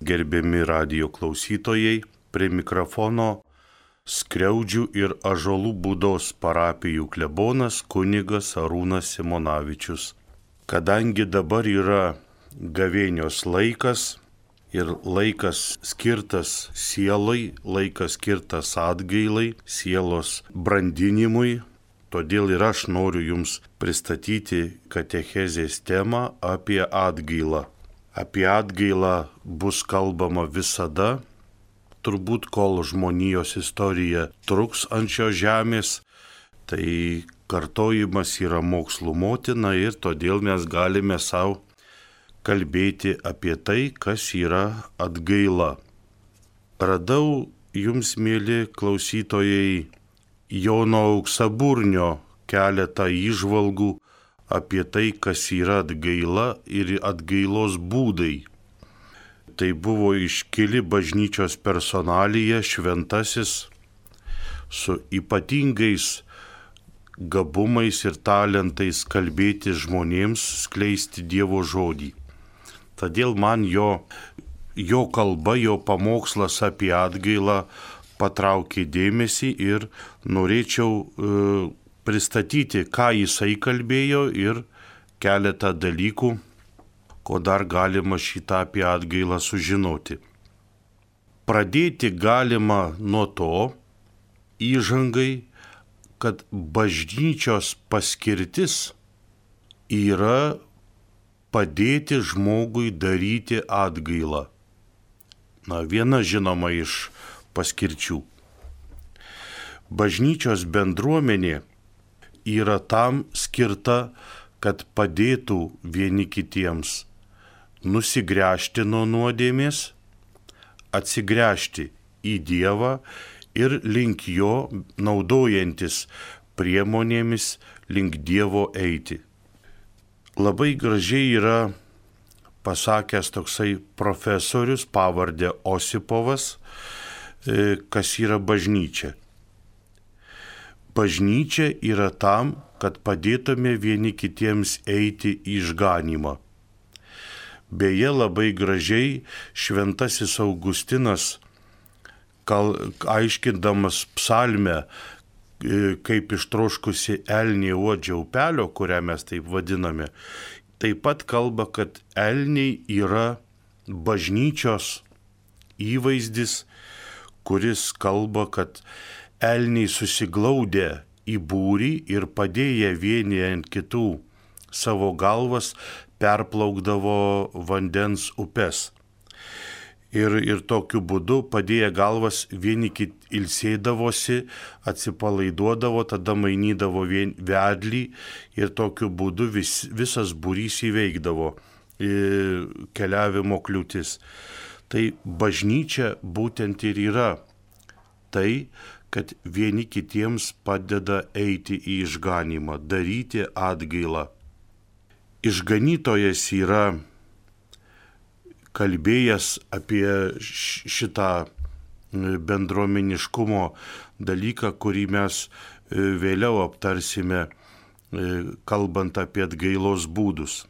Gerbiami radijo klausytojai, prie mikrofono Skriaudžių ir Ąžuolų Būdos parapijų klebonas kunigas Arūnas Simonavičius. Kadangi dabar yra gavėnios laikas ir laikas skirtas sielai, laikas skirtas atgailai, sielos brandinimui, todėl ir aš noriu Jums pristatyti katechezės temą apie atgailą. Apie atgailą bus kalbama visada, turbūt kol žmonijos istorija truks ant šios žemės, tai kartojimas yra mokslų motina ir todėl mes galime savo kalbėti apie tai, kas yra atgaila. Radau Jums, mėly klausytojai, Jono Auksaburnio keletą įžvalgų apie tai, kas yra atgaila ir atgailos būdai. Tai buvo iškili bažnyčios personalija, šventasis, su ypatingais gabumais ir talentais kalbėti žmonėms, skleisti Dievo žodį. Todėl man jo kalba, jo pamokslas apie atgailą patraukė dėmesį ir norėčiau pristatyti, ką jisai kalbėjo ir keletą dalykų, ko dar galima šitą apie atgailą sužinoti. Pradėti galima nuo to įžangai, kad bažnyčios paskirtis yra padėti žmogui daryti atgailą. Viena žinoma iš paskirčių. Bažnyčios bendruomenė yra tam skirta, kad padėtų vieni kitiems nusigręžti nuo nuodėmės, atsigręžti į Dievą ir link jo, naudojantis priemonėmis, link Dievo eiti. Labai gražiai yra pasakęs toksai profesorius, pavardė Osipovas, kas yra bažnyčia. Bažnyčia yra tam, kad padėtume vieni kitiems eiti į išganymą. Beje, labai gražiai šventasis Augustinas, aiškindamas psalmę, kaip ištroškusi elnė uodžia upelio, kurią mes taip vadiname, taip pat kalba, kad elniai yra bažnyčios įvaizdis, kuris kalba, kad elniai susiglaudę į būrį ir padėję vieni ant kitų savo galvas perplaukdavo vandens upes. Ir tokiu būdu padėję galvas vieni kiti ilsėdavosi, atsipalaiduodavo, tada mainydavo vedlį ir tokiu būdu visas būrys įveikdavo keliavimo kliūtis. Tai bažnyčia būtent ir yra tai, kad vieni kitiems padeda eiti į išganymą, daryti atgailą. Išganytojas yra kalbėjęs apie šitą bendruomeniškumo dalyką, kurį mes vėliau aptarsime, kalbant apie atgailos būdus.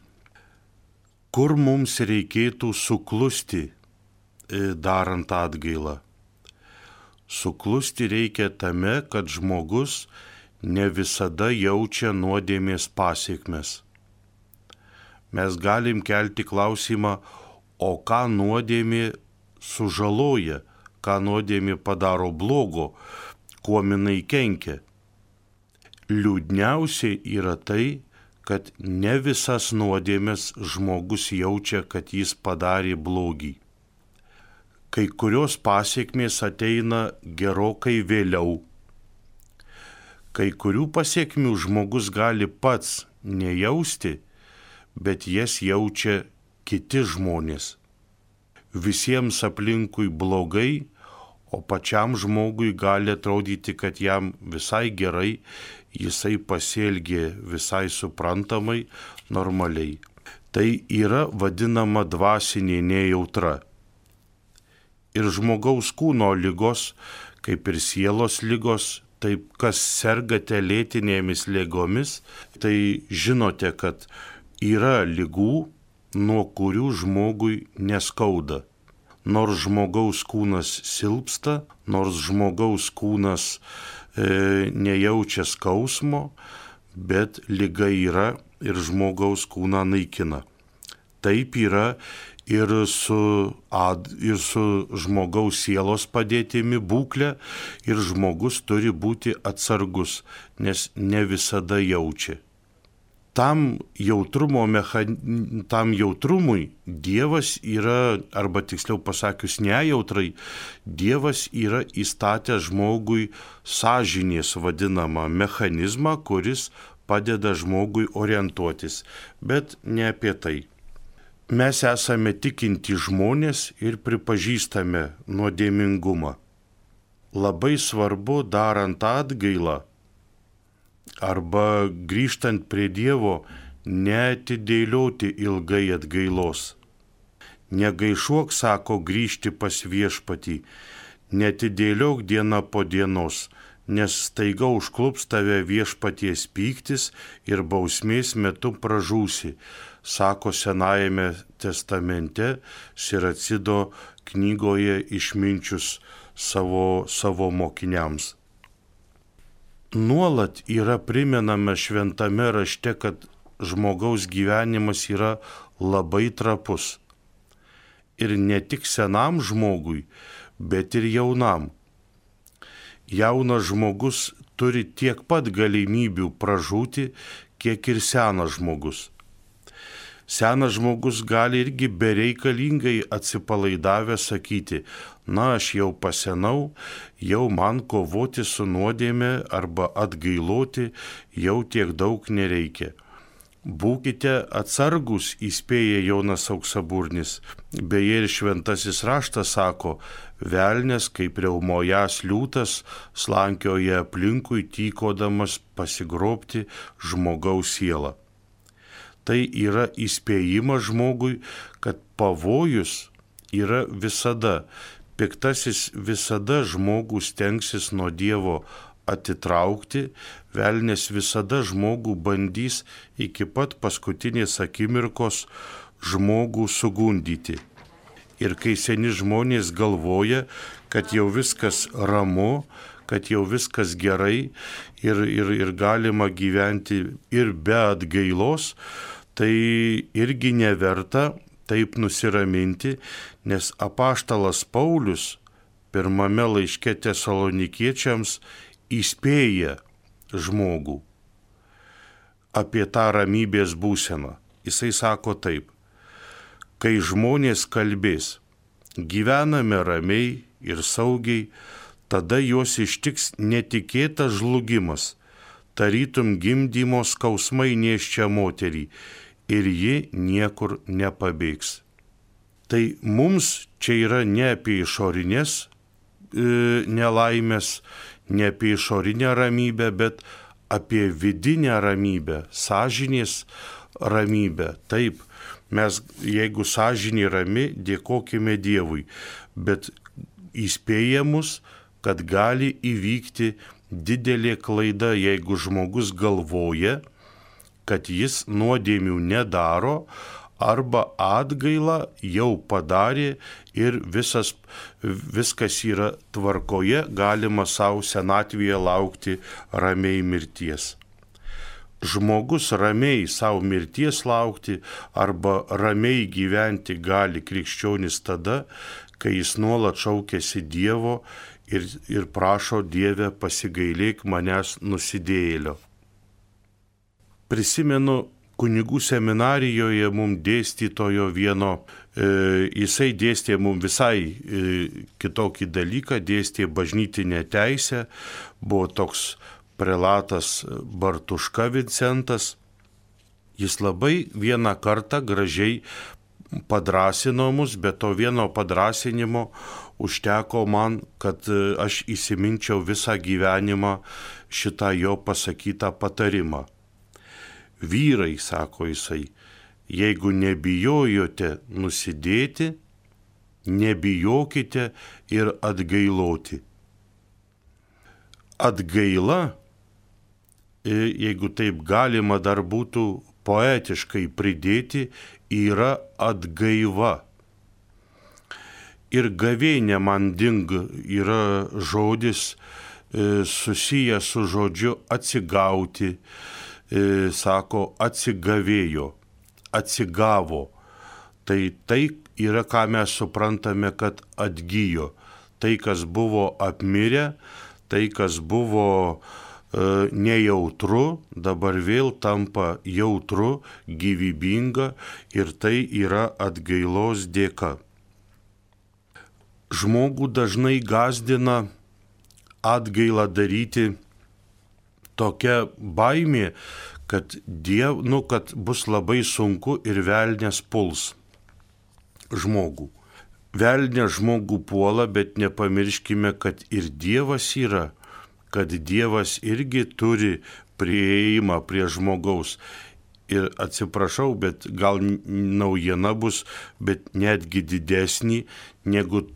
Kur mums reikėtų suklusti darant atgailą? Suklusti reikia tame, kad žmogus ne visada jaučia nuodėmės pasiekmes. Mes galim kelti klausimą, o ką nuodėmė sužaloja, ką nuodėmė padaro blogo, kuo jinai kenkia. Liūdniausiai yra tai, kad ne visas nuodėmės žmogus jaučia, kad jis padarė blogį. Kai kurios pasiekmės ateina gerokai vėliau. Kai kurių pasiekmių žmogus gali pats nejausti, bet jas jaučia kiti žmonės. Visiems aplinkui blogai, o pačiam žmogui gali atrodyti, kad jam visai gerai, jisai pasielgė visai suprantamai, normaliai. Tai yra vadinama dvasinė nejautra. Ir žmogaus kūno ligos, kaip ir sielos ligos, taip kas sergate lėtinėmis ligomis, tai žinote, kad yra ligų, nuo kurių žmogui neskauda. nors žmogaus kūnas silpsta, nors žmogaus kūnas nejaučia skausmo, bet liga yra ir žmogaus kūną naikina. Taip yra ir su žmogaus sielos padėtimi būklė, ir žmogus turi būti atsargus, nes ne visada jaučia. Tam jautrumui Dievas yra, arba tiksliau pasakius nejautrai, Dievas yra įstatęs žmogui sąžinės vadinamą mechanizmą, kuris padeda žmogui orientuotis, bet ne apie tai. Mes esame tikinti žmonės ir pripažįstame nuodėmingumą. Labai svarbu darant atgailą arba grįžtant prie Dievo neatidėlioti ilgai atgailos. Negaišuok, sako, grįžti pas viešpatį, neatidėliok dieną po dienos, nes staiga užklups tave viešpaties pyktis ir bausmės metu pražūsi, sako Senajame testamente Siracido knygoje išminčius savo mokiniams. Nuolat yra primenama šventame rašte, kad žmogaus gyvenimas yra labai trapus. Ir ne tik senam žmogui, bet ir jaunam. Jaunas žmogus turi tiek pat galimybių pražūti, kiek ir senas žmogus. Senas žmogus gali irgi bereikalingai atsipalaidavęs sakyti, na, aš jau pasenau, jau man kovoti su nuodėme arba atgailoti jau tiek daug nereikia. Būkite atsargus, įspėja Jonas Auksaburnis. Beje, ir šventasis raštas sako, velnias kaip riaumojas liūtas slankioja aplinkui, tykodamas pasigrobti žmogaus sielą. Tai yra įspėjimas žmogui, kad pavojus yra visada. Piktasis visada žmogų stengsis nuo Dievo atitraukti, velnias visada žmogų bandys iki pat paskutinės akimirkos žmogų sugundyti. Ir kai seni žmonės galvoja, kad jau viskas ramu, kad jau viskas gerai ir galima gyventi ir be atgailos, tai irgi neverta taip nusiraminti, nes apaštalas Paulius pirmame laiške Tesalonikiečiams įspėja žmogų apie tą ramybės būseną. Jisai sako taip, kai žmonės kalbės, gyvename ramiai ir saugiai, tada juos ištiks netikėtas žlugimas, tarytum gimdymo skausmai nėščią moterį, ir ji niekur nepabėgs. Tai mums čia yra ne apie išorinės nelaimės, ne apie išorinę ramybę, bet apie vidinę ramybę, sąžinės ramybę. Taip, mes, jeigu sąžinė rami, dėkokime Dievui, bet įspėja mus, kad gali įvykti didelė klaida, jeigu žmogus galvoja, kad jis nuodėmių nedaro arba atgailą jau padarė ir viskas yra tvarkoje, galima savo senatvėje laukti ramiai mirties. Žmogus ramiai savo mirties laukti arba ramiai gyventi gali krikščionis tada, kai jis nuolat šaukiasi Dievo ir prašo, Dieve, pasigailėk manęs nusidėjėlio. Prisimenu, kunigų seminarijoje mums dėstytojo vieno, jisai dėstė mums visai kitokį dalyką, dėstė bažnytinę teisę, buvo toks prelatas Bartuška Vincentas. Jis labai vieną kartą gražiai padrąsino mus, bet to vieno padrąsinimo užteko man, kad aš įsiminčiau visą gyvenimą šitą jo pasakytą patarimą. Vyrai, sako jisai, jeigu nebijojote nusidėti, nebijokite ir atgailoti. Atgaila, jeigu taip galima dar būtų poetiškai pridėti, yra atgaiva. Ir gavėnia man ding yra žodis susijęs su žodžiu atsigauti, sako atsigavėjo, atsigavo. Tai yra, ką mes suprantame, kad atgyjo. Tai, kas buvo apmirę, tai, kas buvo nejautru, dabar vėl tampa jautru, gyvybinga ir tai yra atgailos dėka. Žmogų dažnai gąsdina atgailą daryti tokia baimė, kad kad bus labai sunku ir velnias puls žmogų. Velnias žmogų puola, bet nepamirškime, kad ir Dievas yra, kad Dievas irgi turi prieėjimą prie žmogaus. Ir atsiprašau, bet gal naujiena bus, bet netgi didesnį, negu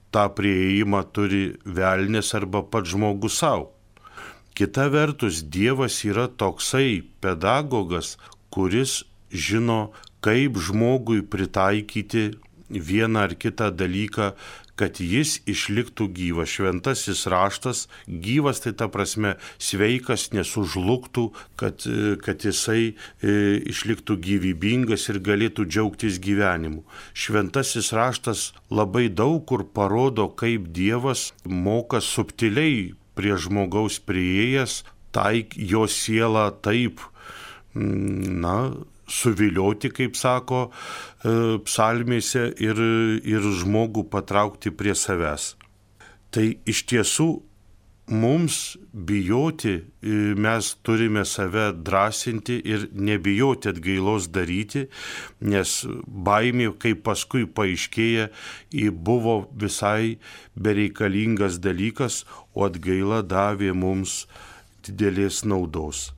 tą prieėjimą turi velnias arba pats žmogus savo. Kita vertus, Dievas yra toksai pedagogas, kuris žino, kaip žmogui pritaikyti vieną ar kitą dalyką, kad jis išliktų gyvas. Šventasis raštas gyvas, tai ta prasme sveikas, nesužlugtų, kad jisai išliktų gyvybingas ir galėtų džiaugtis gyvenimu. Šventasis raštas labai daug kur parodo, kaip Dievas moka subtiliai prie žmogaus priėjęs, jo sielą taip, suvilioti, kaip sako psalmėse, ir žmogų patraukti prie savęs. Tai iš tiesų mums bijoti, mes turime save drąsinti ir nebijoti atgailos daryti, nes baimė, kaip paskui paaiškėja, buvo visai bereikalingas dalykas, o atgaila davė mums didelės naudos.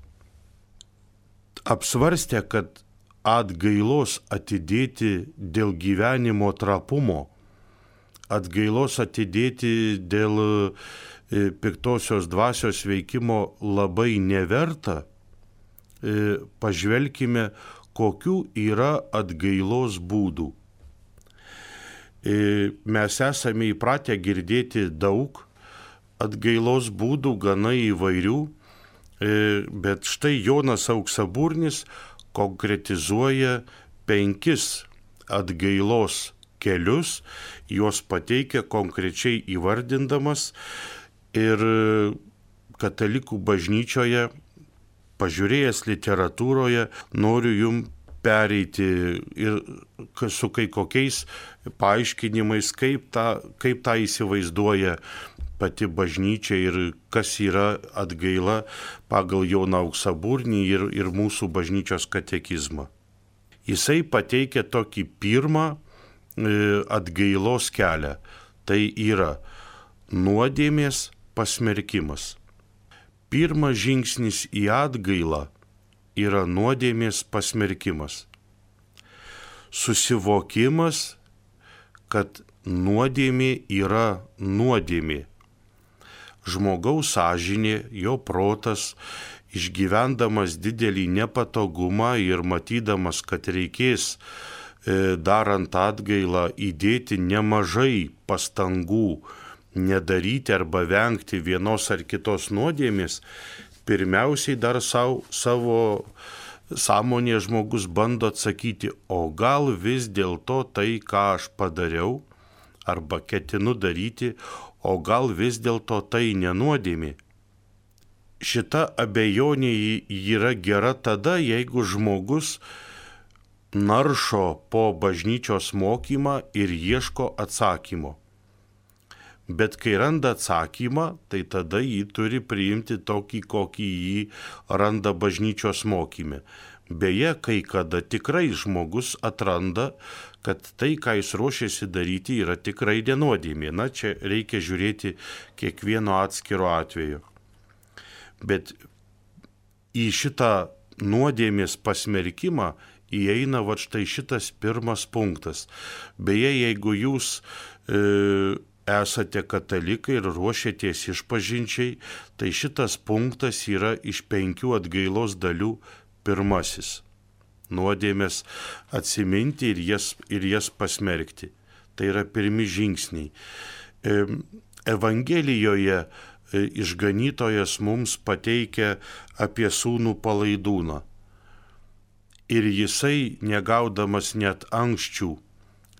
Apsvarstę, kad atgailos atidėti dėl gyvenimo trapumo, atgailos atidėti dėl piktosios dvasios veikimo labai neverta, pažvelkime, kokių yra atgailos būdų. Mes esame įpratę girdėti daug atgailos būdų, gana įvairių, bet štai Jonas Auksaburnis konkretizuoja 5 atgailos kelius, juos pateikia konkrečiai įvardindamas, ir katalikų bažnyčioje, pažiūrėjęs literatūroje, noriu jums pereiti ir su kai kokiais paaiškinimais, kaip tą įsivaizduoja pati bažnyčia ir kas yra atgaila pagal Joną Auksaburnį ir mūsų bažnyčios katekizmą. Jisai pateikia tokį pirmą atgailos kelią. Tai yra nuodėmės pasmerkimas. Pirmas žingsnis į atgailą yra nuodėmės pasmerkimas. Susivokimas, kad nuodėmė yra nuodėmė. Žmogaus sąžinė, jo protas, išgyvendamas didelį nepatogumą ir matydamas, kad reikės darant atgailą įdėti nemažai pastangų, nedaryti arba vengti vienos ar kitos nuodėmės, pirmiausiai dar savo sąmonė žmogus bando atsakyti, o gal vis dėlto tai, ką aš padariau arba ketinu daryti, o gal vis dėlto tai nenuodėmė. Šita abejonė yra gera tada, jeigu žmogus naršo po bažnyčios mokymą ir ieško atsakymo. Bet kai randa atsakymą, tai tada jį turi priimti tokį, kokį jį randa bažnyčios mokyme. Beje, kai kada tikrai žmogus atranda, kad tai, ką jis ruošiasi daryti, yra tikrai nenuodėmė. Na, čia reikia žiūrėti kiekvieno atskiro atveju. Bet į šitą nuodėmės pasmerkimą įeina štai šitas pirmas punktas. Beje, jeigu jūs esate katalikai ir ruošiatės išpažinčiai, tai šitas punktas yra iš 5 atgailos dalių pirmasis. Nuodėmės atsiminti ir jas pasmerkti. Tai yra pirmi žingsniai. Evangelijoje išganytojas mums pateikia apie sūnų palaidūną. Ir jisai, negaudamas net anksčių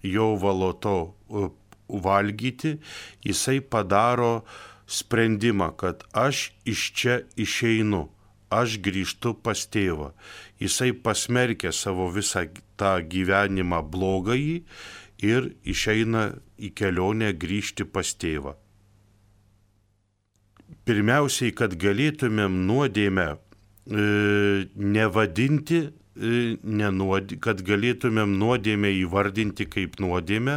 jovalo to valgyti, jisai padaro sprendimą, kad aš iš čia išeinu, aš grįžtu pas tėvą. Jisai pasmerkia savo visą tą gyvenimą blogąjį ir išeina į kelionę grįžti pas tėvą. Pirmiausiai, kad galėtumėm nuodėmę nevadinti, kad galėtumėm nuodėmę įvardinti kaip nuodėmę,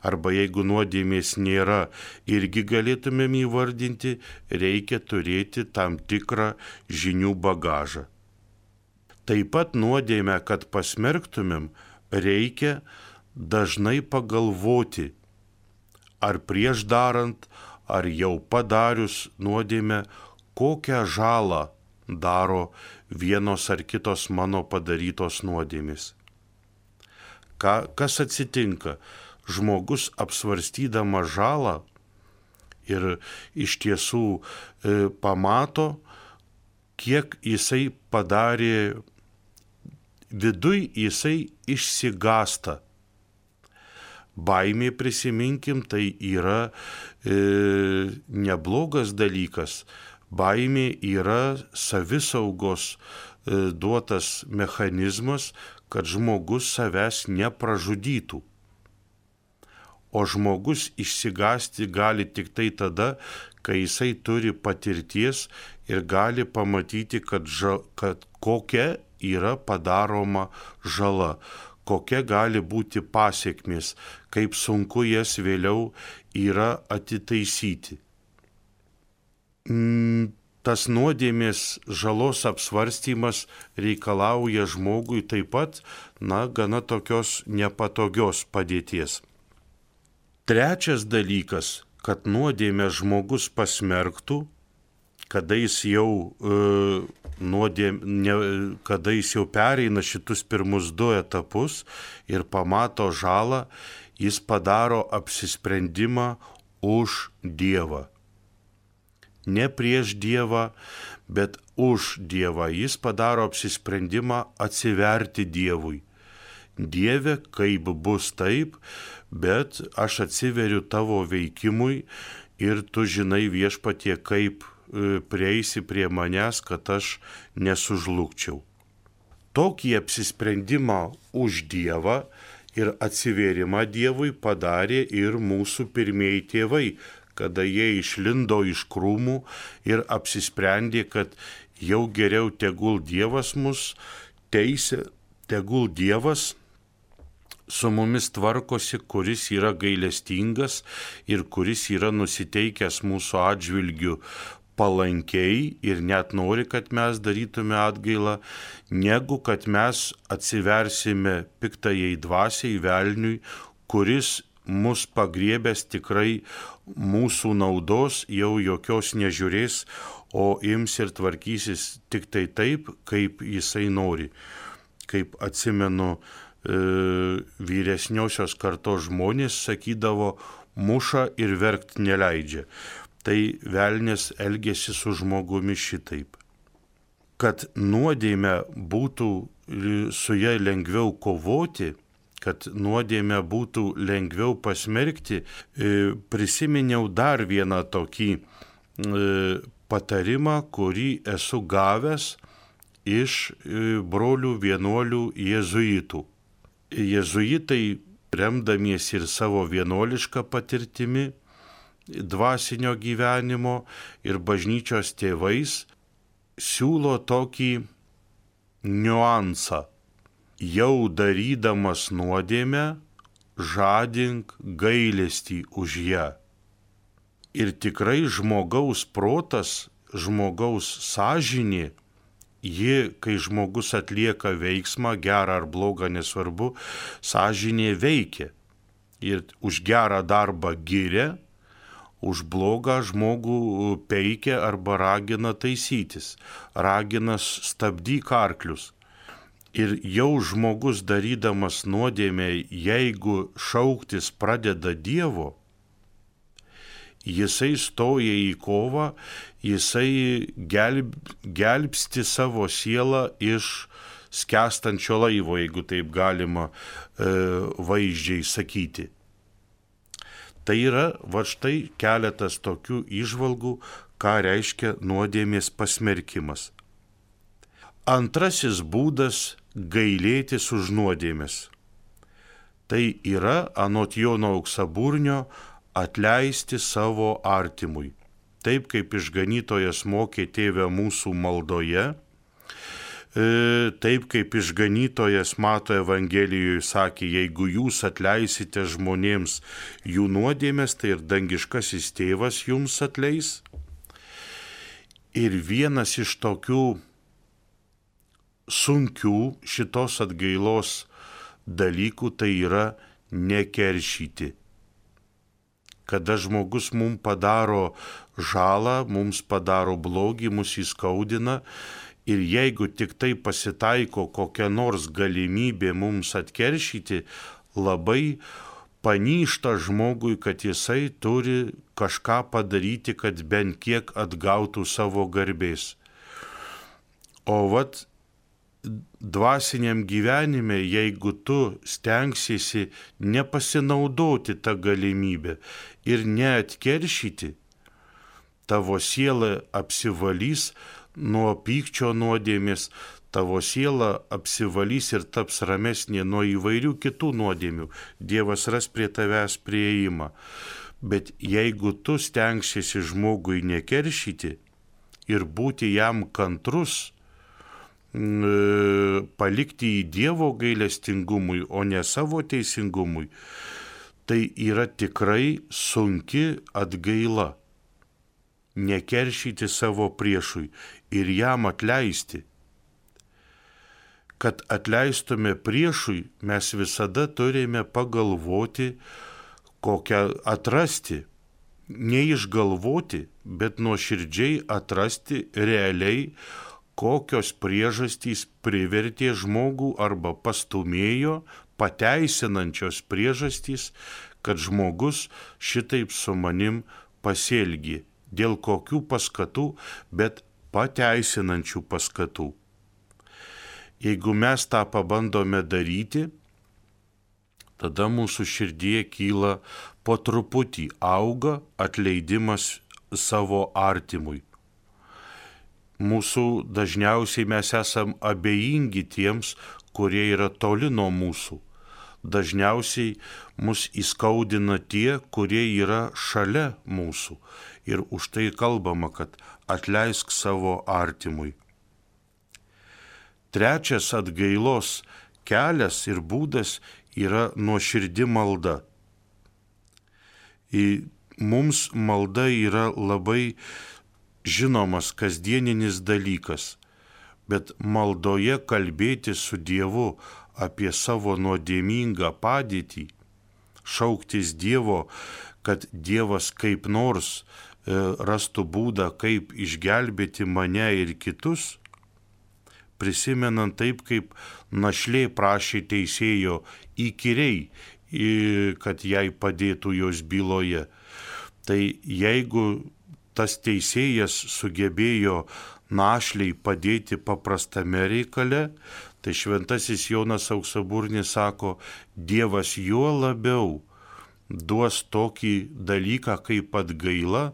arba jeigu nuodėmės nėra, irgi galėtumėm įvardinti, reikia turėti tam tikrą žinių bagažą. Taip pat nuodėmę, kad pasmerktumėm, reikia dažnai pagalvoti, ar prieš darant, ar jau padarius nuodėmę, kokią žalą daro vienos ar kitos mano padarytos nuodėmės. Kas atsitinka? Žmogus apsvarstydama žalą ir iš tiesų pamato, kiek jisai padarė, viduj jisai išsigąsta. Baimė, prisiminkim, tai yra neblogas dalykas. Baimė yra savisaugos duotas mechanizmas, kad žmogus savęs nepražudytų. O žmogus išsigąsti gali tik tai tada, kai jisai turi patirties ir gali pamatyti, kad kokia yra padaroma žala, kokia gali būti pasekmės, kaip sunku jas vėliau yra atitaisyti. Tas nuodėmės žalos apsvarstymas reikalauja žmogui taip pat, gana tokios nepatogios padėties. Trečias dalykas, kad nuodėmę žmogus pasmerktų, kada jis jau pereina šitus pirmus 2 etapus ir pamato žalą, jis padaro apsisprendimą už Dievą. Ne prieš Dievą, bet už Dievą. Jis padaro apsisprendimą atsiverti Dievui. Dieve, kaip bus taip, bet aš atsiveriu tavo veikimui ir tu žinai, Viešpatie, kaip prieisi prie manęs, kad aš nesužlugčiau. Tokį apsisprendimą už Dievą ir atsivėrimą Dievui padarė ir mūsų pirmieji tėvai, kada jie išlindo iš krūmų ir apsisprendė, kad jau geriau tegul Dievas mus teisia, tegul Dievas su mumis tvarkosi, kuris yra gailestingas ir kuris yra nusiteikęs mūsų atžvilgiu palankiai ir net nori, kad mes darytume atgailą, negu kad mes atsiversime piktajai dvasiai, velniui, kuris mus pagriebęs tikrai mūsų naudos jau jokios nežiūrės, o ims ir tvarkysis tik tai taip, kaip jisai nori. Kaip atsimenu, vyresniosios kartos žmonės sakydavo, muša ir verkt neleidžia. Tai velnias elgėsi su žmogumi šitaip. Kad nuodėmę būtų su ja lengviau kovoti, kad nuodėmę būtų lengviau pasmerkti, prisiminiau dar vieną tokį patarimą, kurį esu gavęs iš brolių vienuolių jėzuitų. Jėzuitai, remdamiesi ir savo vienuolišką patirtimi, dvasinio gyvenimo ir bažnyčios tėvais, siūlo tokį niuansą. Jau darydamas nuodėmę, žadink gailestį už ją. Ir tikrai žmogaus protas, žmogaus sąžinė, ji, kai žmogus atlieka veiksmą, gerą ar blogą, nesvarbu, sąžinė veikia. Ir už gerą darbą giria, už blogą žmogų peikia arba ragina taisytis, ragina stabdyk arklius. Ir jau žmogus darydamas nuodėmę, jeigu šauktis pradeda Dievo, jisai stoja į kovą, jisai gelbsti savo sielą iš skęstančio laivo, jeigu taip galima vaizdžiai sakyti. Tai yra, va štai keletas tokių įžvalgų, ką reiškia nuodėmės pasmerkimas. Antrasis būdas – gailėtis už nuodėmės. Tai yra, anot Jono Auksaburnio, atleisti savo artimui. Taip kaip išganytojas mokė Tėve mūsų maldoje, taip kaip išganytojas Mato Evangelijoje sakė, jeigu jūs atleisite žmonėms jų nuodėmės, tai ir dangiškasis Tėvas jums atleis. Ir vienas iš tokių sunkių šitos atgailos dalykų tai yra nekeršyti. Kada žmogus mums padaro žalą, mums padaro blogį, mus įskaudina ir jeigu tik tai pasitaiko kokia nors galimybė mums atkeršyti, labai panyšta žmogui, kad jisai turi kažką padaryti, kad bent kiek atgautų savo garbės. O vat dvasiniam gyvenime, jeigu tu stengsiesi nepasinaudoti tą galimybę ir neatkeršyti, tavo siela apsivalys nuo pykčio nuodėmės, tavo siela apsivalys ir taps ramesnė nuo įvairių kitų nuodėmių. Dievas ras prie tavęs prieimą. Bet jeigu tu stengsiesi žmogui nekeršyti ir būti jam kantrus, palikti į Dievo gailestingumui, o ne savo teisingumui, tai yra tikrai sunki atgaila. Nekeršyti savo priešui ir jam atleisti. Kad atleistume priešui, mes visada turime pagalvoti, kokią atrasti, neišgalvoti, bet nuoširdžiai atrasti realiai, kokios priežastys privertė žmogų arba pastumėjo, pateisinančios priežastys, kad žmogus šitaip su manim pasielgė. Dėl kokių paskatų, bet pateisinančių paskatų. Jeigu mes tą pabandome daryti, tada mūsų širdyje kyla po truputį, auga atleidimas savo artimui. Mūsų dažniausiai mes esam abejingi tiems, kurie yra toli nuo mūsų. Dažniausiai mus įskaudina tie, kurie yra šalia mūsų. Ir už tai kalbama, kad atleisk savo artimui. Trečias atgailos kelias ir būdas yra nuoširdi malda. Mums malda yra labai žinomas kasdieninis dalykas, bet maldoje kalbėti su Dievu apie savo nuodėmingą padėtį, šauktis Dievo, kad Dievas kaip nors rastų būdą, kaip išgelbėti mane ir kitus, prisimenant taip, kaip našlė prašė teisėjo įkyriai, kad jai padėtų jos byloje. Tai jeigu tas teisėjas sugebėjo našliai padėti paprastame reikale, tai šventasis Jonas Auksaburnis sako, Dievas juo labiau duos tokį dalyką kaip atgaila,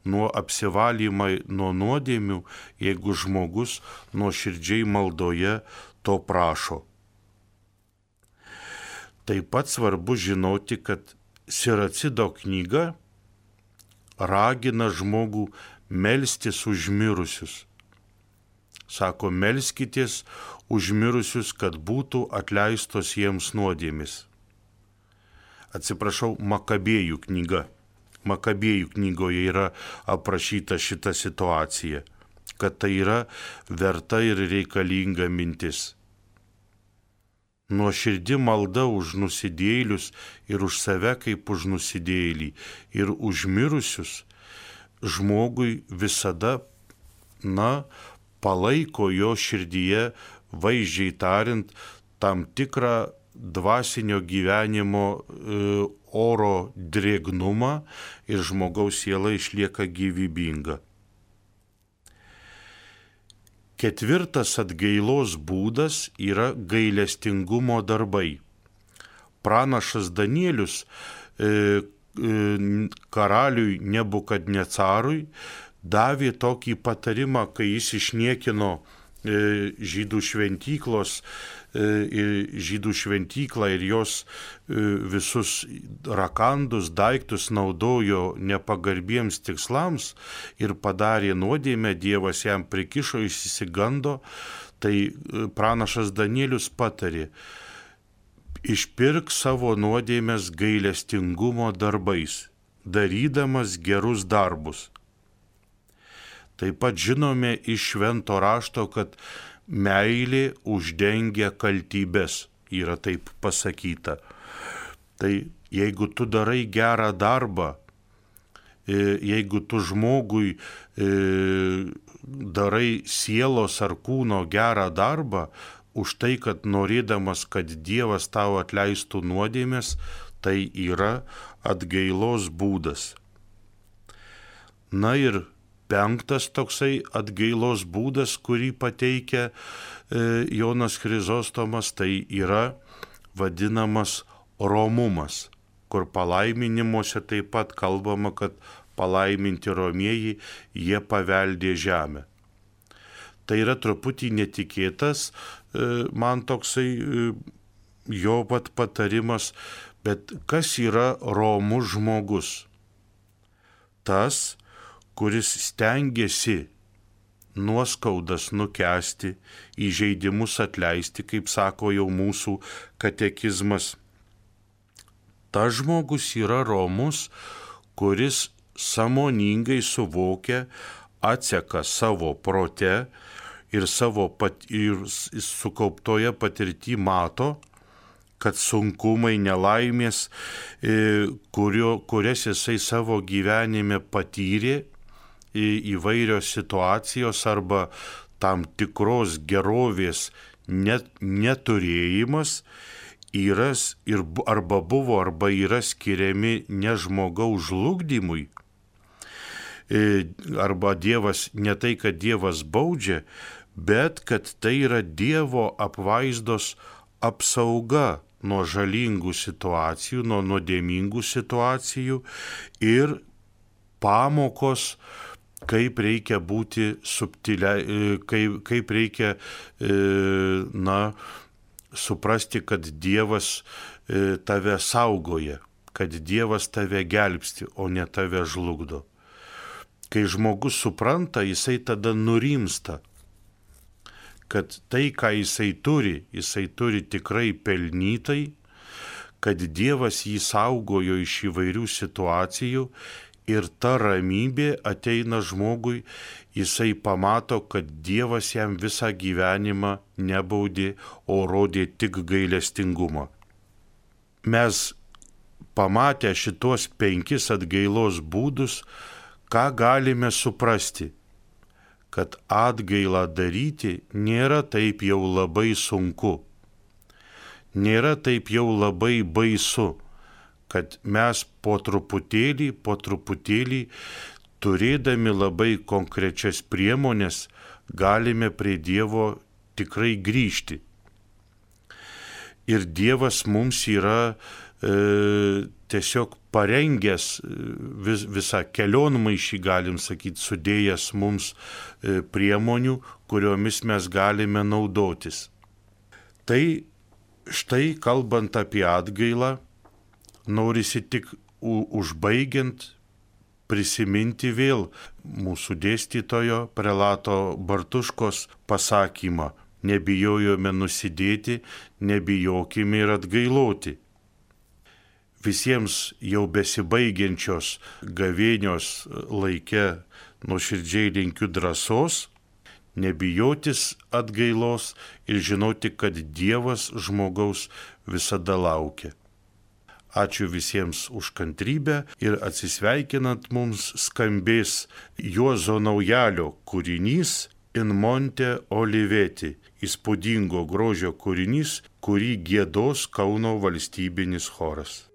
nuo apsivalymą nuo nuodėmių, jeigu žmogus nuoširdžiai maldoje to prašo. Taip pat svarbu žinoti, kad Siracido knyga ragina žmogų melstis už mirusius. Sako, melskitės už mirusius, kad būtų atleistos jiems nuodėmės. Atsiprašau, Makabėjų knyga. Makabėjų knygoje yra aprašyta šita situacija, kad tai yra verta ir reikalinga mintis. Nuoširdi malda už nusidėjėlius ir už save kaip už nusidėjėlį ir už mirusius žmogui visada, palaiko jo širdyje vaizdžiai tariant, tam tikrą dvasinio gyvenimo oro drėgnumą ir žmogaus siela išlieka gyvybinga. Ketvirtas atgailos būdas yra gailestingumo darbai. Pranašas Danielius karaliui Nebukadnecarui davė tokį patarimą, kai jis išniekino žydų šventyklą ir jos visus rakandus, daiktus naudojo nepagarbiems tikslams ir padarė nuodėmę, Dievas jam prikišo, jis išsigando, tai pranašas Danielius patarė: išpirk savo nuodėmes gailestingumo darbais, darydamas gerus darbus. Taip pat žinome iš švento rašto, kad meilė uždengia kaltybes, yra taip pasakyta. Tai jeigu tu darai gerą darbą, jeigu tu žmogui darai sielos ar kūno gerą darbą, už tai, kad norėdamas, kad Dievas tau atleistų nuodėmes, tai yra atgailos būdas. Na ir penktas toksai atgailos būdas, kurį pateikia Jonas Chrizostomas, tai yra vadinamas romumas, kur palaiminimuose taip pat kalbama, kad palaiminti romieji, jie paveldė žemę. Tai yra truputį netikėtas man toksai jo pat patarimas, bet kas yra romus žmogus? Tas, kuris stengiasi nuoskaudas nukęsti, įžeidimus atleisti, kaip sako jau mūsų katekizmas. Tas žmogus yra romus, kuris sąmoningai suvokia, atseka savo prote ir sukauptoje patirty mato, kad sunkumai, nelaimės, kurias jisai savo gyvenime patyrė, įvairios situacijos arba tam tikros gerovės neturėjimas arba buvo arba yra skiriami ne žmogaus žlugdymui, arba Dievas, ne tai, kad Dievas baudžia, bet kad tai yra Dievo apvaizdos apsauga nuo žalingų situacijų, nuo nuodėmingų situacijų ir pamokos, kaip reikia būti subtiliai, kaip reikia suprasti, kad Dievas tave saugoja, kad Dievas tave gelbsti, o ne tave žlugdo. Kai žmogus supranta, jisai tada nurimsta, kad tai, ką jisai turi tikrai pelnytai, kad Dievas jį saugojo iš įvairių situacijų ir ta ramybė ateina žmogui, jisai pamato, kad Dievas jam visą gyvenimą nebaudė, o rodė tik gailestingumą. Mes pamatę šitos 5 atgailos būdus, ką galime suprasti? Kad atgailą daryti nėra taip jau labai sunku, nėra taip jau labai baisu, kad mes po truputėlį, turėdami labai konkrečias priemonės, galime prie Dievo tikrai grįžti. Ir Dievas mums yra tiesiog parengęs visą kelionmaišį, galim sakyti, sudėjęs mums priemonių, kuriomis mes galime naudotis. Tai štai, kalbant apie atgailą, norisi tik užbaigiant prisiminti vėl mūsų dėstytojo prelato Bartuškos pasakymą: nebijojome nusidėti, nebijokime ir atgailoti. Visiems jau besibaigiančios gavėnios laike nuoširdžiai linkiu drąsos, nebijotis atgailos ir žinoti, kad Dievas žmogaus visada laukia. Ačiū visiems už kantrybę ir atsisveikinant mums skambės Juozo Naujalio kūrinys in Monte Oliveti įspūdingo grožio kūrinys, kurį giedos Kauno valstybinis choras.